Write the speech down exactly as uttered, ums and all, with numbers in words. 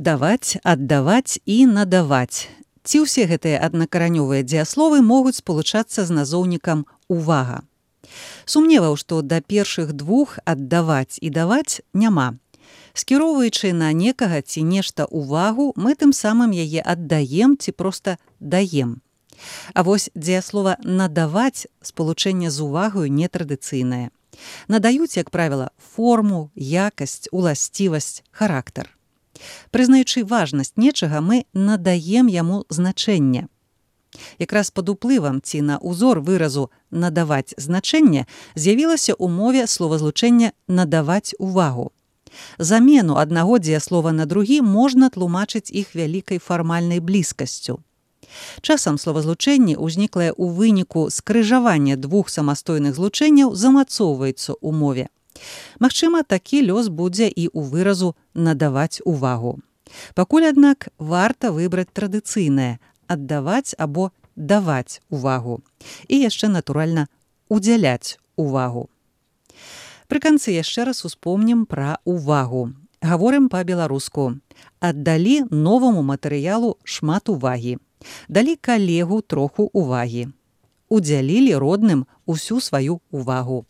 Даваць, аддаваць і надаваць. Ці ўсе гэтыя аднакаранёвыя дзеясловы могуць спалучацца з назоўнікам «увага». Сумневаў, што да першых двух аддаваць і даваць няма. Скіроўваючы на некага ці нешта увагу, мы тым самым яе аддаем ці проста даем. А вось дзеяслова «надаваць» спалучэнне з увагаю нетрадыцыйнае. Надаюць, як правіла, форму, якасць, уласцівасць, характар. Прызнаючы важнасць нечага, мы надаем яму значэнне. Якраз пад уплывам ці на ўзор выразу «надаваць значэнне» з'явілася ў мове словазлучэнне «надаваць увагу». Замену аднаго дзеяслова на другі можна тлумачыць іх вялікай фармальнай блізкасцю. Часам словазлучэнне, узніклае ў выніку скрыжавання двух самастойных злучэнняў, замацоўваецца ў мове. Магчыма, такі лёс будзе і ў выразу «надаваць увагу». Пакуль, аднак, варта выбраць традыцыйнае «аддаваць» або «даваць увагу». І яшчэ, натуральна, «удзяляць увагу». Пры канцы яшчэ раз успомнім пра увагу. Гаворым па-беларуску. Аддалі новаму матэрыялу шмат увагі. Далі калегу троху увагі. Удзялілі родным усю сваю увагу.